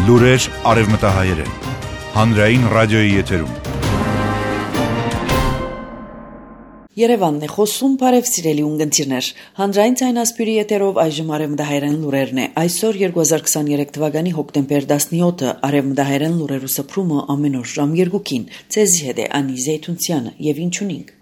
Լուրեր արևմտահայերեն, հանրային ռադիոյի եթերում։ Երևանն է խոսում, բարև սիրելի ունգընտիրներ, հանրային ցայնասպյուրի եթերով այժմ արևմտահայերեն լուրերն է, այսօր 2023 թվականի հոկտեմբեր 17-ը, արևմտահայերեն լուրերու սփռումը ամեն օր ժամ 2-ին, ցեզի հետ է Անի Զեյթունցյանը եւ ինչ ունենք։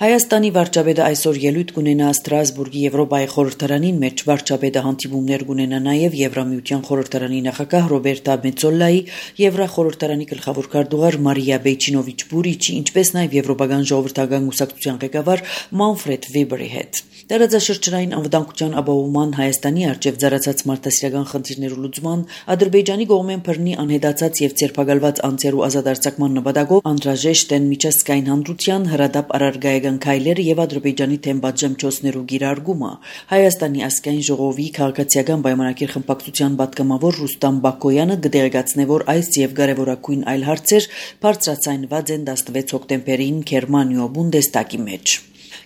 Հայաստանի վարչապետը այսօր ելույթ կունենա Ստրասբուրգի Եվրոպայի խորհրդարանին մեջ վարչապետը հանդիպումներ կունենա նաև Եվրամիության խորհրդարանի նախագահ Ռոբերտա Մեծոլայի, Եվրախորհրդարանի գլխավոր քարտուղար Մարիա Բեյչինովիչ Բուրիչի, ինչպես նաև Եվրոպական ժողովրդական կուսակցության ղեկավար Մանֆրեդ Վեբերի հետ։ Տարածաշրջանային անվտանգության ապահովման Հայաստանի արչև ծառացած մարդասիրական խնդիրներու լուծման, Ադրբեջանի կողմեն բռնի անհետացած եւ ցերպակալված անձերու ազատ արձակման նպատակով անհրաժեշտ են միջազգային հանրության հրադապ առարգայական քայլերը եւ Ադրբեջանի թեմ պատժամիջոցներու գիրարգումը։ Հայաստանի ազգային ժողովի քաղաքացիական պայմանագիր խմբակցության պատգամավոր Ռուստամ Բակոյանը կդեղեկացնե, որ այս եւ կարևորագույն այլ հարցեր բարձրացանված են 16 հոկտեմբերին Գերմանիո Բունդեստագի մեջ։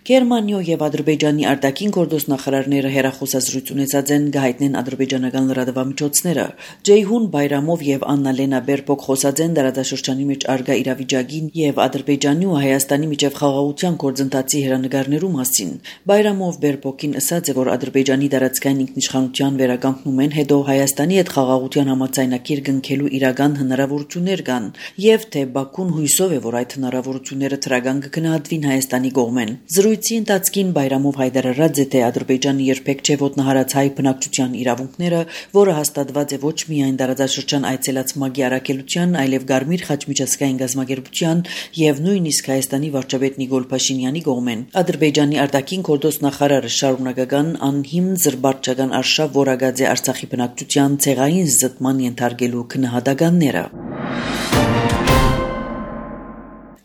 Գերմանիո եւ Ադրբեջանի արտաքին գործ նախարարները հերախոսազրույց ունեցած են գահիտնեն ադրբեջանական լրատվամիջոցները։ Ջեյհուն Բայրամով եւ Աննա Լենա Բերբոկ խոսած են դարաշրջանի մեջ արգա իրավիճակին եւ Ադրբեջանի ու Հայաստանի միջև խաղաղության գործընթացի հերանեկարներու մասին։ Բայրամով Բերբոկին ասաց է, որ Ադրբեջանի դարածքային ինքնիշխանության վերականգնում են, հետո Հայաստանի հետ խաղաղության համաձայնագիր կնքելու իրական հնարավորություններ կան եւ թե Բաքուն հույսով է, որ այդ հնարավորությունները թրական կգնահատվին Հայաստանի կողմեն։ Զրույցի ընթացքին Բայրամով հայտարարած է, թե Ադրբեջանը երբեք չէ ոտնահարած հայ բնակչության իրավունքները, որը հաստատված է ոչ միայն տարածաշրջան այցելած ՄԱԳ-ի առաքելության, այլև Գարմիր խաչմիջազգային գազագերբության եւ նույնիսկ Հայաստանի վարչապետ Նիկոլ Փաշինյանի կողմեն։ Ադրբեջանի արտաքին գործ նախարարը շարունակական անհիմն զրբարչական արշավ որակած է Արցախի բնակչության ցեղային զտման ենթարկելու քննադատականները։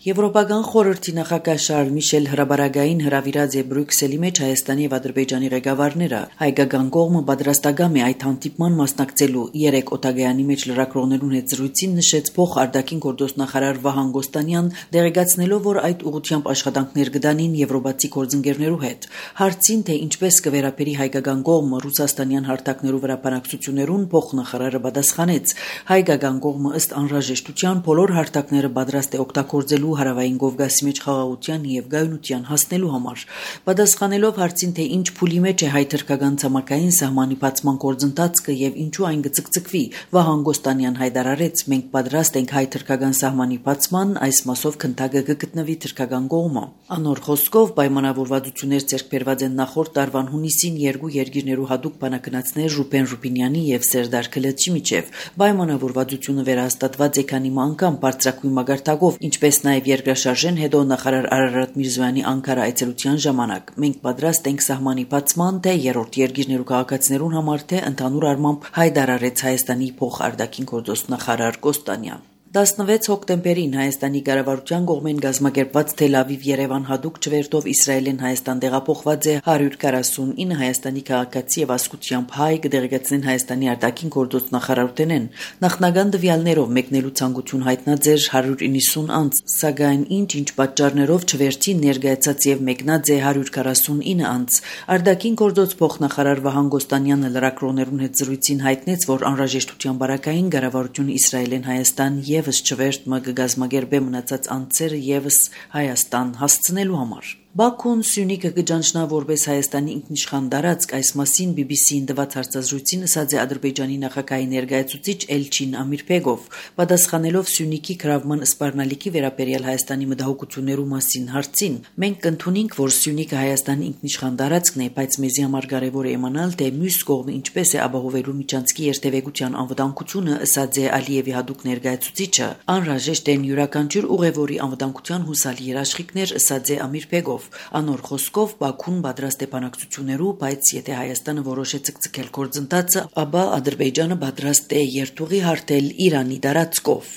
Եվրոպական խորհրդի նախագահ Շարլ Միշել հրաբարագային հրավիրած է Բրյուսելի մեջ Հայաստանի եւ Ադրբեջանի ղեկավարները։ Հայկական կողմը պատրաստական է այդ հանդիպման մասնակցելու։ 3 օտագայանի մեջ լրագրողներուն հետ զրույցին նշեց փոխ արտաքին գործ նախարար Վահան Գոստանյան, դեղեկացնելով, որ այդ ուղղությամբ աշխատանքներ կդանին եվրոպացի գործընկերներու հետ։ Հարցին, թե ինչպես կվերապերի հայկական կողմը ռուսաստանյան հարթակներու վրա բանակցություններուն, փոխնախարարը պատասխանեց. հայկական կողմը ըստ անհրաժեշտության բոլոր հարթակները պատրաստ է օգտագործելու Հարավային Կովկասի մեջ խաղաղության եւ գայունության հասնելու համար։ Պատասխանելով հարցին, թե ինչ փուլի մեջ է հայ-թրքական ցամաքային սահմանի բացման գործընթացը եւ ինչու այն կցկցկվի, Վահան Գոստանյան հայտարարեց. մենք պատրաստ ենք հայ-թրքական սահմանի բացման, այս մասով քննարկը կգտնվի թրքական կողմը։ Անոր խոսքով պայմանավորվածություններ ձեռք բերված են նախորդ տարվան հունիսին երկու երկիրներու հատուկ բանակնացներ Ռուբեն Ռուբինյանի եւ Սերդար Քլեչի միջև։ Պայմանավորվածությունը վերահաստատված է քանի անգամ բարձրակույն մագարտակով, ինչպես նաև երկրաշարժեն հետո նախարար Արարատ Միրզոյանի Անկարա այցելության ժամանակ։ Մենք պատրաստ ենք սահմանի բացման, թե երրորդ երկիրներու քաղաքացիներուն համար, թե ընդհանուր առմամբ, հայտարարեց Հայաստանի փոխարտաքին գործ նախարար Գոստանյան։ 16 հոկտեմբերին Հայաստանի կառավարության կողմեն գազմագերբված Թել Ավիվ-Երևան հատուկ չվերթով Իսրայելեն Հայաստան տեղափոխված է 149 Հայաստանի քաղաքացի եւ ազգությամբ հայ, կդեղեկացնեն Հայաստանի արտաքին գործ նախարարութենեն։ Նախնական տվյալներով մեկնելու ցանկություն հայտնած էր 190 անձ, սակայն ինչ պատճառներով չվերթին ներկայացած եւ մեկնած է 149 անձ։ Արտաքին գործ փոխնախարար Վահան Գոստանյանը լրագրողներուն հետ զրույցին հայտնեց, որ անհրաժեշտության բարակային կառավարությունը Իսրայելեն Հայաստան եւս չվերթ ՄԳ գազմագերբե մնացած անձերը եւս Հայաստան հասցնելու համար։ Բաքուն Սյունիքը կճանչնա որպես Հայաստանի ինքնիշխան տարածք, այս մասին BBC-ին տված հարցազրույցին ասաց է Ադրբեջանի նախագահի ներկայացուցիչ Էլչին Ամիրբեգով, պատասխանելով Սյունիքի գրավման սպառնալիքի վերաբերյալ Հայաստանի մտահոգություններու մասին հարցին. մենք կընդունենք, որ Սյունիքը Հայաստանի ինքնիշխան տարածքն է, բայց մեզի համար կարևոր է իմանալ, թե մյուս կողմը ինչպես է ապահովելու միջանցքի երթևեկության անվտանգությունը, ասաց է Ալիևի հատուկ ներկայացուցիչը։ Անհրաժեշտ են յուրաքանչյուր ուղևորի անվտանգության հուսալի երաշխիքներ, ասաց է Ամիրբեգով։ Անոր խոսքով Բաքուն պատրաստ է բանակցություններու, բայց եթե Հայաստանը որոշ է ցկցկել գործընթացը, ապա Ադրբեջանը պատրաստ է երթուղի հարթել Իրանի տարածքով։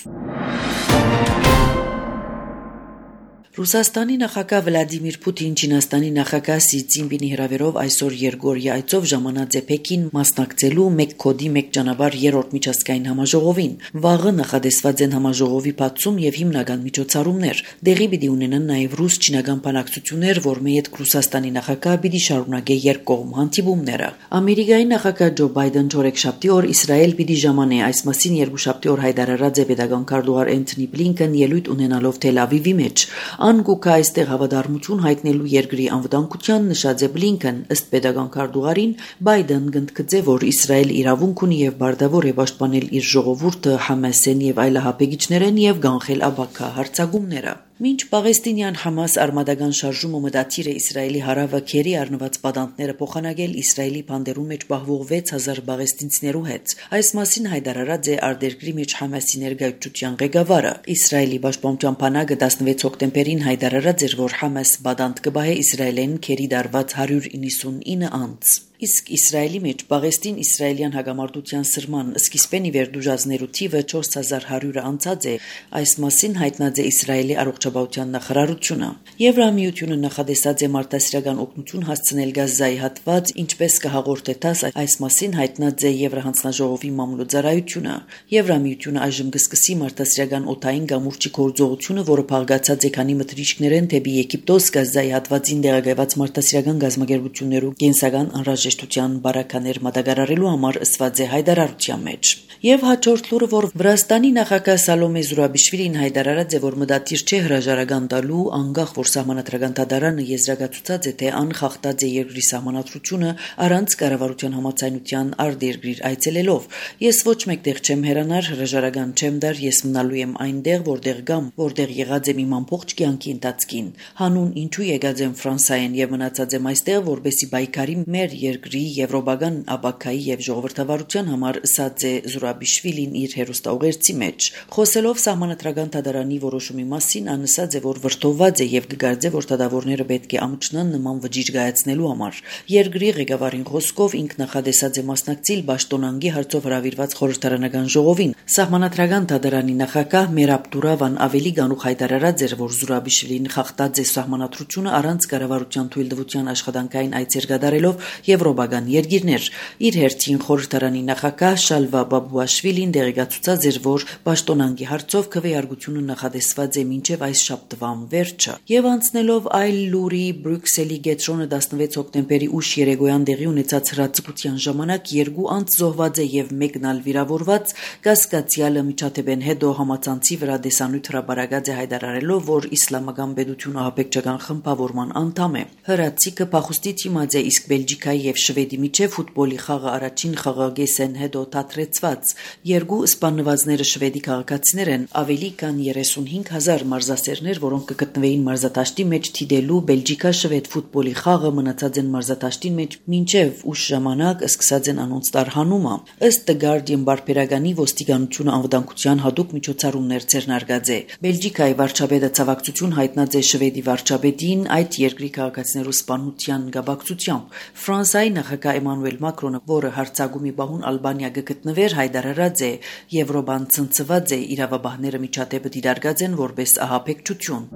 Ռուսաստանի նախագահ Վլադիմիր Պուտին Չինաստանի նախագահ Սի Ցզինպինի հրավերով այսօր երկօրյա այցով ժամանած է Պեկին մասնակցելու մեկ կոդի մեկ ճանապարհ երրորդ միջազգային համաժողովին։ Վաղը նախադեсված են համաժողովի բացում եւ հիմնական միջոցառումներ։ Դեղի պիտի ունենան նաեւ ռուս-չինական բանակցություններ, որմե հետ Ռուսաստանի նախագահ պիտի շարունակե երկկողմ հանդիպումները։ Ամերիկայի նախագահ Ջո Բայդեն չորեքշաբթի օր Իսրայել պիտի ժամանե, այս մասին երկուշաբթի օր հայտարարած է պետական քարտուղար Էնթոնի Բլինքեն ելույթ ունենալով Թել Ավիվի մեջ։ Անկուկա այստեղ հավատարմություն հայտնելու երկրի անվտանգության նշած է Բլինքեն, ըստ պետական քարտուղարին Բայդեն գնդկծե, որ Իսրայել իրավունք ունի եւ բարդավոր է պաշտպանել իր ժողովուրդը Համասեն եւ այլահապեգիչներեն եւ կանխել աբակա հարձակումները։ Մինչ Պաղեստինյան Համաս արմադական շարժումը մտադիր է Իսրայելի հարավը քերի առնված պատանտները փոխանակել Իսրայելի բանդերում մեջ պահվող 6000 պաղեստինցիներու հետ։ Այս մասին հայտարարած է արտերկրի մեջ Համասի ներկայացության ղեկավարը։ Իսրայելի պաշտպանության բանակը 16 հոկտեմբերին հայտարարած էր, որ Համաս պատանտ կբահե Իսրայելեն քերի դարված 199 անձ։ Իսկ Իսրայելի մեջ Պաղեստին-իսրայելյան հագամարտության սրման սկիզբեն ի վեր դժուժածներու թիվը 4100-ը անցած է, այս մասին հայտնած է Իսրայելի առողջապահության նախարարությունը։ Եվրամիությունը նախադեсած է մարդասիրական օգնություն հասցնել Գազայի հատված, ինչպես կհաղորդե ՏԱՍ, այս մասին հայտնած է Եվրահանձնաժողովի մամուլոծարայությունը։ Եվրամիությունը այժմ կսկսի մարդասիրական օդային գամուրջի գործողությունը, որը փաղկացած է քանի մտրիչքներեն դեպի Եգիպտոս Գազայի հատվածին տեղակայված մարդասիրական գազམ་ագերբություններու կենսական անհրաժեշտության բարականեր մատակարարելու համար ըսված է հայտարարության մեջ։ Եվ հաջորդ լուրը, որ Վրաստանի նախագահ Սալոմե Զուրաբիշվիլին հայտարարած է, որ մտադիր չէ հրաժարական տալու, անկախ որ սահմանադրական դատարանը եզրակացուցած է, թե անխախտած է երկրի սահմանադրությունը առանց կառավարության համաձայնության արտերկիր այցելելով։ Ես ոչ մեկտեղ չեմ հեռանար, հրաժարական չեմ դար, ես մնալու եմ այնտեղ, որտեղ գամ, որտեղ եղած եմ իմ ամբողջ կյանքի ընթացքին։ Հանուն ինչու եկած եմ Ֆրանսիայեն եւ մնացած եմ այստեղ, որպեսի բայկարի մեր երկրի եվրոպական աբակայի եւ ժողովրդավարության համար, ըսած է Զուրաբիշվիլին իր հերոստաուղերձի մեջ։ Խոսելով սահմանադրական դատարանի որոշումի մասին, անըսած է, որ վրդովված է եւ կգարձե, որ դատավորները պետք է ամճնան նման վճիռ գայացնելու համար։ Երկրի ղեկավարին խոսքով ինք նախադեсած է մասնակցել Պաշտոնանկի հարցով հրավիրված խորհրդարանական ժողովին։ Սահմանադրական դատարանի նախագահ Մերաբ Դուրավան ավելի գանուխ հայտարարած էր, որ Զուրաբիշվիլին խախտած է սահմանադրությունը առանց կառավարության թույլտվության աշխատանքային այցեր կատարելով եվրոպական երկիրներ։ Իր հերթին խորհրդարանի նախագահ Շալվա Բաբուաշվիլին դերեկացուցած էր, որ Պաշտոնանկի հարցով քվեարկությունը նախադեсված է մինչև այս շաբթվան վերջը։ Եվ անցնելով այլ լուրի, Բրյուսելի գետրոնը 16 հոկտեմբերի ուշ երեկոյան տեղի ունեցած հրաձգության ժամանակ 2 անձ զոհված է եւ մեկն ալ վիրավորված, կասկածյալը միջադեպեն հետո համացանցի վրա դեսանյութ հրապարակած է հայտարարելով, որ իսլամական պետությունը ահաբեկչական խմբավորման անդամ է։ Հրաձիգը փախուստի դիմաց է, իսկ Բելգիկայի եւ Շվեդի միջև ֆուտբոլի խաղը առաջին խաղաղեսեն հետո դադրեցված։ Երկու սպանվածները շվեդի քաղաքացիներ են, ավելի քան 35000 մարզասերներ, որոնք կգտնվեին մարզադաշտի մեջ թիդելու Բելգիկա-Շվեդ ֆուտբոլի խաղը, մնացած են մարզադաշտի մեջ մինչև ուշ ժամանակ սկսած են անոնց տարհանումը։ Ըստ The Guardian բարբերականի ոստիկանությունը անվտանգության հատուկ միջոցառումներ ձեռնարկած է։ Բելգիկայի վարչապետը ցավակցություն հայտնած է Շվեդի վարչապետին այդ երկրի քաղաքացիներու սպանության գաբակցությամբ։ Ֆրանսիայի նախագահ Էմանուել Մակրոնը, որը հարցակումի բահուն Ալբանիա գտնվեր, հայտարարած է, Եվրոպան ցնցված է, իրավաբանները միջադեպը դիտարկած են որպես ահաբեկչություն։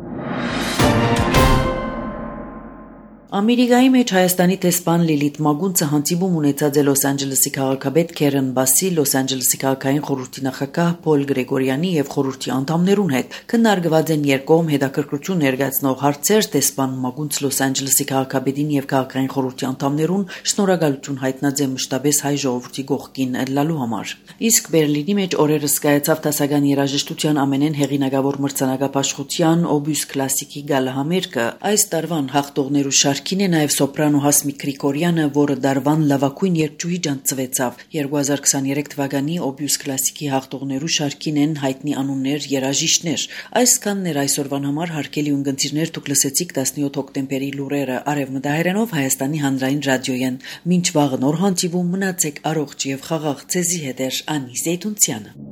Ամերիկայի մեջ Հայաստանի տեսփան Լիլիթ Մագունցը հանդիպում ունեցած է Լոս Անջելեսի քաղաքապետ Քերեն Բասի, Լոս Անջելեսի քաղաքային խորհրդի նախագահ Փոլ Գրեգորյանի եւ խորհրդի անդամներուն հետ։ Քննարկված են երկկողմ հետաքրքրություն ներկայացնող հարցեր, տեսփան Մագունց Լոս Անջելեսի քաղաքապետին եւ քաղաքային խորհրդի անդամներուն շնորհակալություն հայտնած է մշտապես հայ ժողովրդի կողքին ելնալու համար։ Իսկ Բերլինի մեջ օրերս կայացավ դասական երաժշտության ամենեն հեղինակավոր մրցանակապաշխության Օբյուս Կլասիկի գալահամերգը։ Այս տարվան հաղթողներու շարքին է նաև սոպրանո Հասմիկ Գրիգորյանը, որը դարվան լավագույն երգչուհի ջանցվեցավ։ 2023 թվականի Օբյուս Կլասիկի հաղթողներու շարքին են հայտնի անուններ, երաժիշտներ։ Այսքանն էր այսօրվան համար հարգելի ունգընտիրներ, դուք լսեցիք 17 հոկտեմբերի լուրերը Արևմտահայերենով Հայաստանի հանրային ռադիոյեն։ Մինչ վաղը նոր հանդիպում, մնացեք առողջ եւ խաղաղ, ձեզի հետ է Անի Զեյթունցյանը։